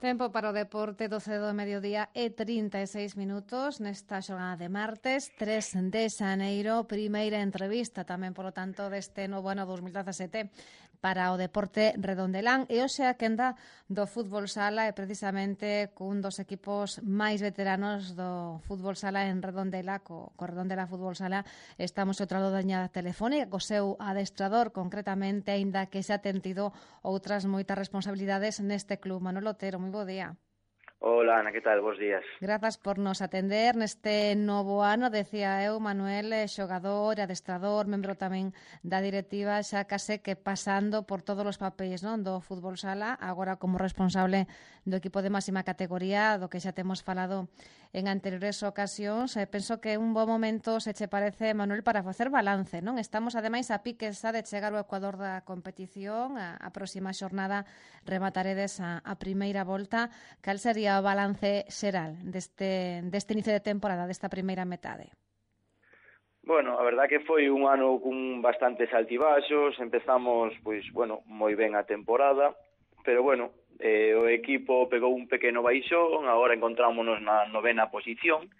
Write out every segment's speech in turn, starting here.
Tempo para o deporte, 12 do mediodía e 36 minutos nesta xornada de martes, 3 de xaneiro, primeira entrevista tamén, polo tanto, deste novo ano 2017 para o deporte redondelán. E hoxe a quenda do fútbol sala é precisamente cun dos equipos máis veteranos do fútbol sala en Redondela, co Redondela Fútbol Sala. Estamos outra lado da liña telefónica, co seu adestrador, concretamente, aínda que xa ten tido outras moitas responsabilidades neste club. Manuel Otero, moi bo día. Hola, Ana, que tal? Bos días. Grazas por nos atender neste novo ano, decía eu, Manuel, xogador, adestrador, membro tamén da directiva, xa case que pasando por todos os papéis, non, do fútbol sala, agora como responsable do equipo de máxima categoría, do que xa temos falado en anteriores ocasións. Penso que un bo momento, se che parece, Manuel, para facer balance, non? Estamos, ademais, a piques xa de chegar ao ecuador da competición, a próxima xornada remataredes a primeira volta. Cal sería o balance xeral deste inicio de temporada, desta primeira metade? Bueno, a verdad que foi un ano con bastantes altibaxos, empezamos, moi ben a temporada, pero o equipo pegou un pequeno baixón, agora encontrámonos na 9ª posición,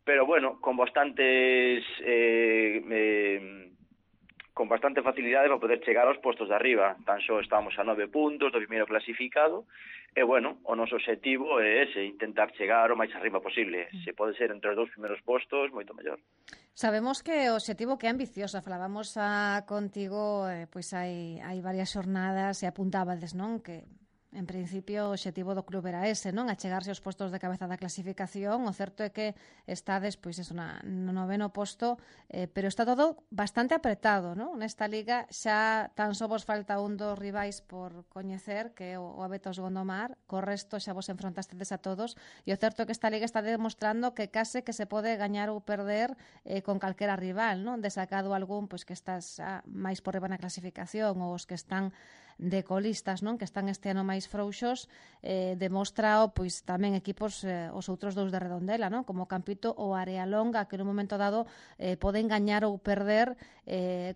pero con bastante facilidade para poder chegar aos postos de arriba. Tan só estamos a 9 puntos do primeiro clasificado e, o noso obxectivo é ese, intentar chegar o máis arriba posible. Se pode ser entre os 2 primeiros postos, moito mellor. Sabemos que o obxectivo que é ambicioso. Falábamos contigo, pois hai varias xornadas e apuntábades, non? Que en principio o obxectivo do club era ese, non? Achegarse aos postos de cabeza da clasificación. O certo é que estades, pois eso, no 9º posto, pero está todo bastante apretado, non? Nesta liga xa tan só vos falta un dos rivais por coñecer, que é o Abetos Gondomar. Co resto xa vos enfrontastedes a todos, e o certo é que esta liga está demostrando que case que se pode gañar ou perder con calquera rival, non? Desacado algún, pois que estás máis por riba na clasificación, ou os que están de colistas, non? Que están este ano máis frouxos, demostra pois tamén equipos, os outros dous de Redondela, non? Como Campito ou Arealonga, que nun momento dado poden gañar ou perder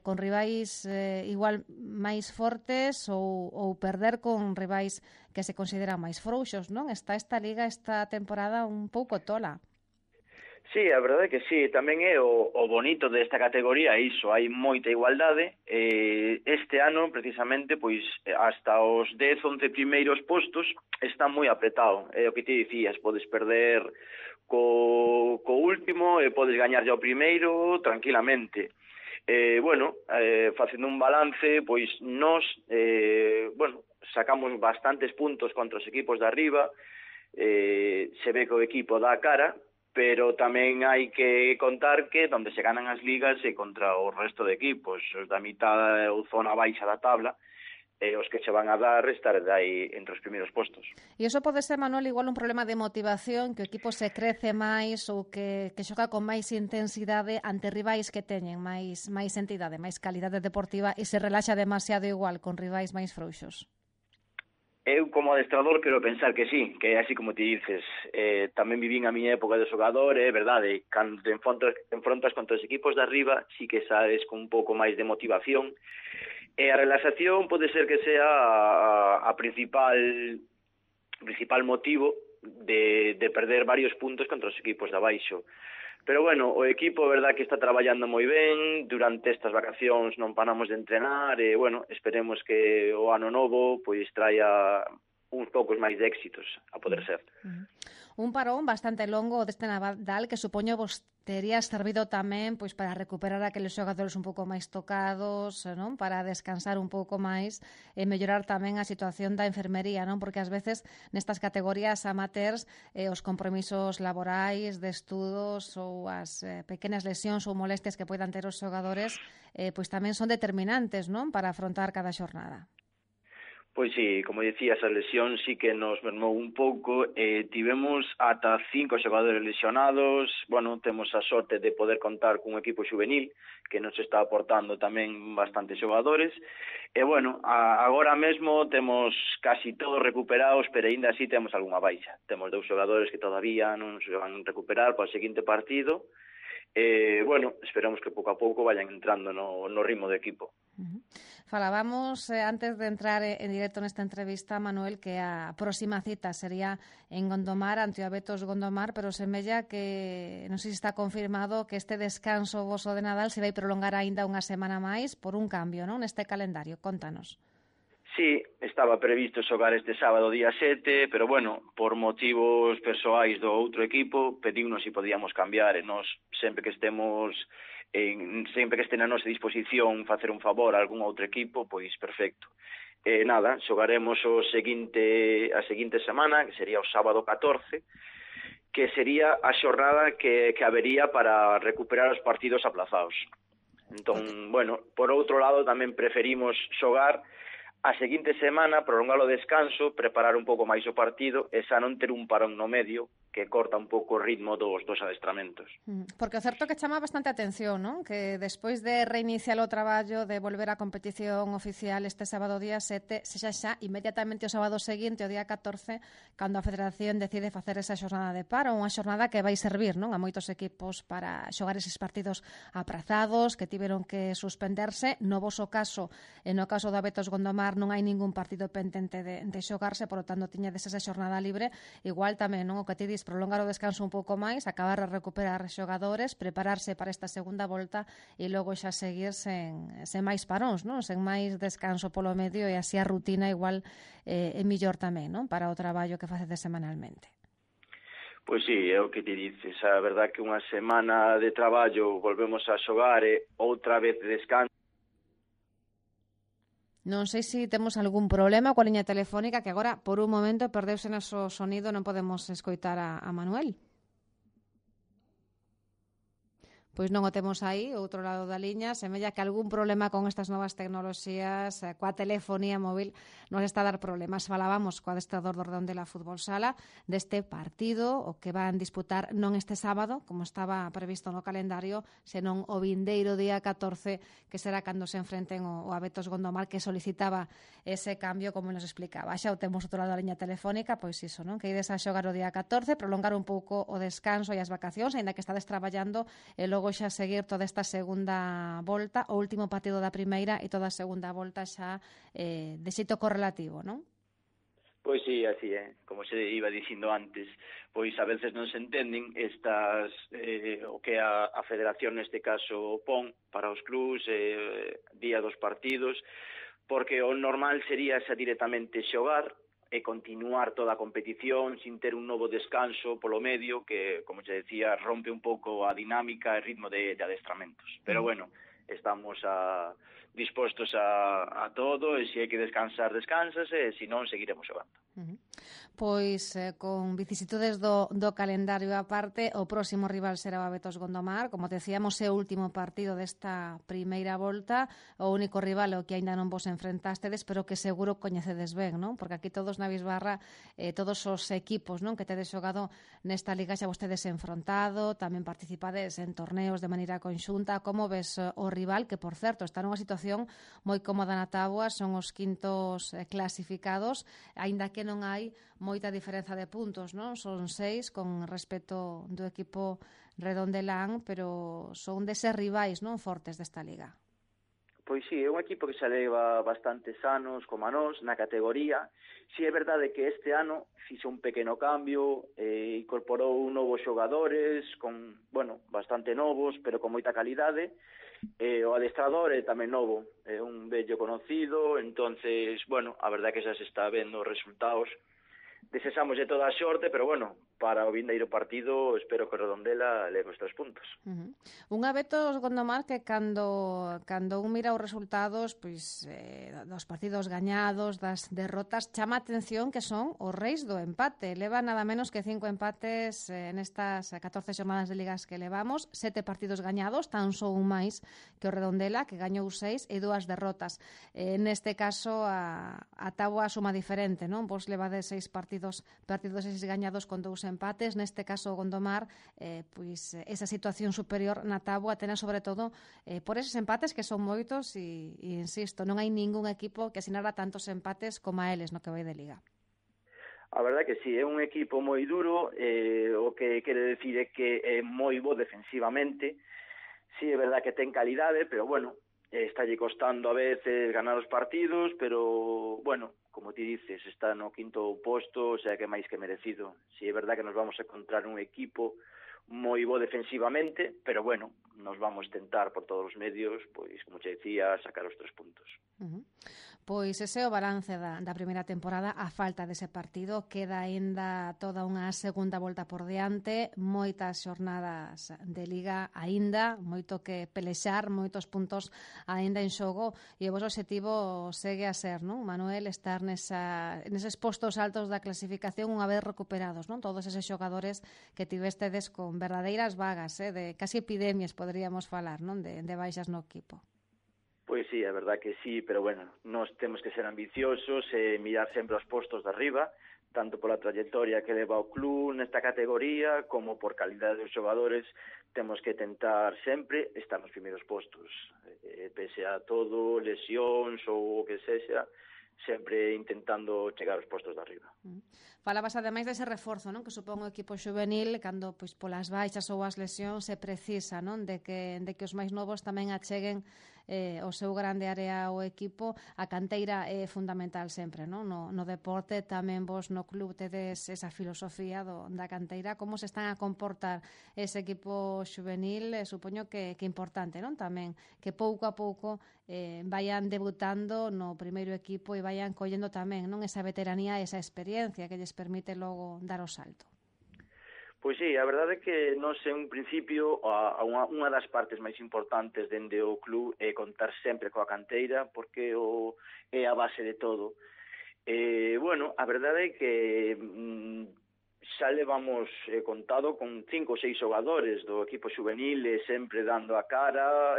con rivais igual máis fortes ou perder con rivais que se consideran máis frouxos, non? Está esta liga esta temporada un pouco tola. Sí, a verdade é que sí, tamén é o bonito desta categoría, iso, hai moita igualdade. Este ano, precisamente, pois hasta os 10-11 primeiros postos está moi apretado. É o que te dicías, podes perder co último e podes gañar ao primeiro tranquilamente. Facendo un balance, pois nós sacamos bastantes puntos contra os equipos de arriba, se ve que o equipo dá a cara, pero tamén hai que contar que onde se ganan as ligas é contra o resto de equipos, os da mitad ou zona baixa da tabla, os que se van a dar estar aí entre os primeiros postos. E iso pode ser, Manuel, igual un problema de motivación, que o equipo se crece máis ou que xoga con máis intensidade ante rivais que teñen máis entidade, máis calidade deportiva, e se relaxa demasiado igual con rivais máis frouxos. Eu, como adestrador, quero pensar que sí, que é así como te dices. Tamén vivín a miña época de xogador, é verdade, cando te enfrontas contra os equipos de arriba, sí que sabes con un pouco máis de motivación. E a relaxación pode ser que sea a principal motivo de perder varios puntos contra os equipos de abaixo. Pero o equipo, verdad, que está traballando moi ben, durante estas vacacións non paramos de entrenar, e, esperemos que o ano novo pois traia uns poucos máis de éxitos, a poder ser. Un parón bastante longo deste Nadal, que supoño vos tería servido tamén pois para recuperar aqueles xogadores un pouco máis tocados, non? Para descansar un pouco máis e mellorar tamén a situación da enfermería, non? Porque ás veces nestas categorías amateurs os compromisos laborais, de estudos ou as pequenas lesións ou molestias que poidan ter os xogadores pois tamén son determinantes, non? Para afrontar cada xornada. Pois sí, como dicías, a lesión sí que nos mermou un pouco. Tivemos ata 5 xogadores lesionados. Temos a sorte de poder contar cun equipo juvenil que nos está aportando tamén bastantes xogadores. E, agora mesmo temos casi todos recuperados, pero ainda así temos algunha baixa. Temos 2 xogadores que todavía non se van recuperar para o seguinte partido. Bueno, esperamos que pouco a pouco vayan entrando no ritmo do equipo. Falábamos antes de entrar en directo nesta entrevista, Manuel, que a próxima cita sería en Gondomar, ante o Abetos Gondomar, pero semella que, non sei se está confirmado, que este descanso voso de Nadal se vai prolongar aínda unha semana máis por un cambio, non, neste calendario. Contanos. Sí, estaba previsto xogar este sábado día 7, pero bueno, por motivos persoais do outro equipo, pedimos se podíamos cambiar e nós sempre que estemos sempre que este na nosa disposición facer un favor a algún outro equipo, pois perfecto. Nada, xogaremos a seguinte semana, que sería o sábado 14, que sería a xornada que habería para recuperar os partidos aplazados. Entón, bueno, por outro lado tamén preferimos xogar a seguinte semana, prolongar o descanso, preparar un pouco máis o partido e xa non ter un parón no medio que corta un pouco o ritmo dos adestramentos. Porque o certo que chama bastante atención, non? Que despois de reiniciar o traballo, de volver á competición oficial este sábado día 7, sexa xa inmediatamente o sábado seguinte, o día 14, cando a Federación decide facer esa xornada de paro, unha xornada que vai servir, non, a moitos equipos para xogar eses partidos aprazados, que tiveron que suspenderse. No voso caso, e no caso do Abetos Gondomar, non hai ningún partido pendente de xogarse, por lo tanto, tiñades esa xornada libre. Igual tamén, non, o que ti dis, prolongar o descanso un pouco máis, acabar a recuperar xogadores, prepararse para esta segunda volta e logo xa seguir sen máis paróns, non? Sen máis descanso polo medio, e así a rutina igual é mellor tamén, non? Para o traballo que facedes semanalmente. Pois sí, é o que ti dices. A verdad que unha semana de traballo volvemos a xogar e outra vez de descanso. Non sei se temos algún problema coa liña telefónica, que agora, por un momento, perdeuse noso sonido, non podemos escoitar a Manuel. Pois non o temos aí, outro lado da liña. Semella que algún problema con estas novas tecnoloxías, coa telefonía móvil, nos está a dar problemas. Falábamos co adestrador do Redondela Fútbol Sala deste partido, o que van disputar non este sábado, como estaba previsto no calendario, senón o vindeiro día 14, que será cando se enfrenten o Abetos Gondomar, que solicitaba ese cambio, como nos explicaba. Xa o temos outro lado da liña telefónica, pois iso, non? Que ides a xogar o día 14, prolongar un pouco o descanso e as vacacións, aínda que estades traballando, e logo xa seguir toda esta segunda volta, o último partido da primeira e toda a segunda volta xa de xeito correlativo, non? Pois sí, así é, como se iba dicindo antes, pois a veces non se entenden estas o que a Federación neste caso pon para os clubs día dos partidos, porque o normal sería xa directamente xogar e continuar toda a competición sin ter un novo descanso polo medio que, como te decía, rompe un pouco a dinámica e ritmo de adestramentos. Pero bueno, estamos dispostos a todo, e se hai que descansar, descansase, e se non, seguiremos xogando. Pois con vicisitudes do calendario aparte, o próximo rival será o Abetos Gondomar. Como decíamos, é o último partido desta primeira volta, o único rival o que aínda non vos enfrentastedes, pero que seguro coñecedes ben, non? Porque aquí todos na Bisbarra, todos os equipos, non, que tedes xogado nesta liga xa vostedes enfrontado, tamén participades en torneos de maneira conxunta. Como ves o rival, que por certo está nunha situación moi cómoda na táboa, son os quintos clasificados, aínda que non hai moita diferenza de puntos, non? Son 6 con respecto do equipo Redondelán, pero son deses rivais, non, fortes desta liga. Pois sí, é un equipo que xa leva bastantes anos como a nós na categoría. Si é verdade que este ano fixe un pequeno cambio, incorporou novos xogadores, bastante novos, pero con moita calidade. O adestrador é tamén novo, é un vello conocido, entonces, a verdade que xa se está vendo os resultados. Desexamos de toda a xorte, pero para o vindeiro partido espero que o Redondela leve os 3 puntos. Un Abetos Gondomar que cando un mira os resultados, pois dos partidos gañados, das derrotas, chama a atención que son os reis do empate. Leva nada menos que 5 empates nestas 14 xornadas de ligas que levamos, 7 partidos gañados, tan só un máis que o Redondela, que gañou 6, e 2 derrotas. Neste caso a táboa suma diferente, non? Vos levades 6 partidos 6 gañados con 2 empates. Neste caso o Gondomar, pois esa situación superior na táboa tena sobre todo por eses empates que son moitos e insisto, non hai ningún equipo que asinara tantos empates como a eles no que vai de liga. A verdade que sí, é un equipo moi duro, o que quere decir é que é moi bo defensivamente. Sí, é verdade que ten calidade, pero bueno, estalle costando a veces ganar os partidos, pero bueno, como ti dices, está no quinto posto, o sea que é máis que merecido. Sí, é verdade que nos vamos a encontrar un equipo moi bo defensivamente, pero bueno, nos vamos tentar por todos os medios, pois, como che decía, sacar os 3 puntos. Pois ese é o balance da primeira temporada. A falta dese partido, queda aínda toda unha segunda volta por diante, moitas xornadas de Liga aínda, moito que pelexar, moitos puntos aínda en xogo, e o vosso obxectivo segue a ser, non, Manuel, estar neses postos altos da clasificación unha vez recuperados, non, todos eses xogadores que tivestedes con verdadeiras vagas, de casi epidemias, poderíamos falar, non, de baixas no equipo. Pois sí, é verdad que sí, pero bueno, nós temos que ser ambiciosos e mirar sempre os postos de arriba, tanto pola trayectoria que leva o club nesta categoría, como por calidade dos xogadores, temos que tentar sempre estar nos primeiros postos, pese a todo, lesións ou o que sexa, sempre intentando chegar aos postos de arriba. Falabas ademais dese reforzo, non, que supón o equipo xuvenil cando pois polas baixas ou as lesións se precisa, non, de que os máis novos tamén acheguen o seu grande área ao equipo. A canteira é fundamental sempre, non? No deporte tamén vos no club tedes esa filosofía da canteira. Como se están a comportar ese equipo xuvenil? Supoño que importante, non? Tamén que pouco a pouco vayan debutando no primeiro equipo e vayan collendo tamén, non, esa veteranía, esa experiencia que lles permite logo dar o salto. Pois sí, a verdade é que nós en un principio unha das partes máis importantes dende o club é contar sempre coa canteira, porque é a base de todo. Bueno, a verdade é que xa levamos contado con 5 ou 6 xogadores do equipo xuvenil, sempre dando a cara,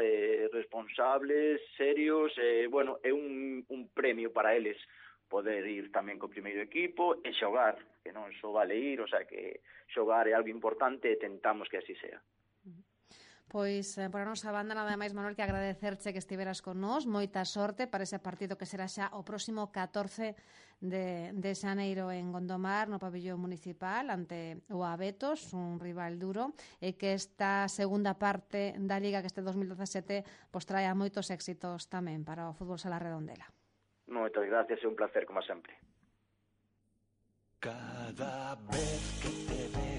responsables, serios, bueno, é un premio para eles poder ir tamén co primeiro equipo e xogar, que non só vale ir, o sea que xogar é algo importante e tentamos que así sea. Pois, por a nosa banda, nada máis, Manuel, que agradecerche que estiveras con nós. Moita sorte para ese partido que será xa o próximo 14 de xaneiro en Gondomar, no pabellón municipal, ante o Abetos, un rival duro, e que esta segunda parte da Liga, que este 2017, pois traia moitos éxitos tamén para o fútbol sala Redondela. Moitas gracias, é un placer, como sempre. Cada vez que te veo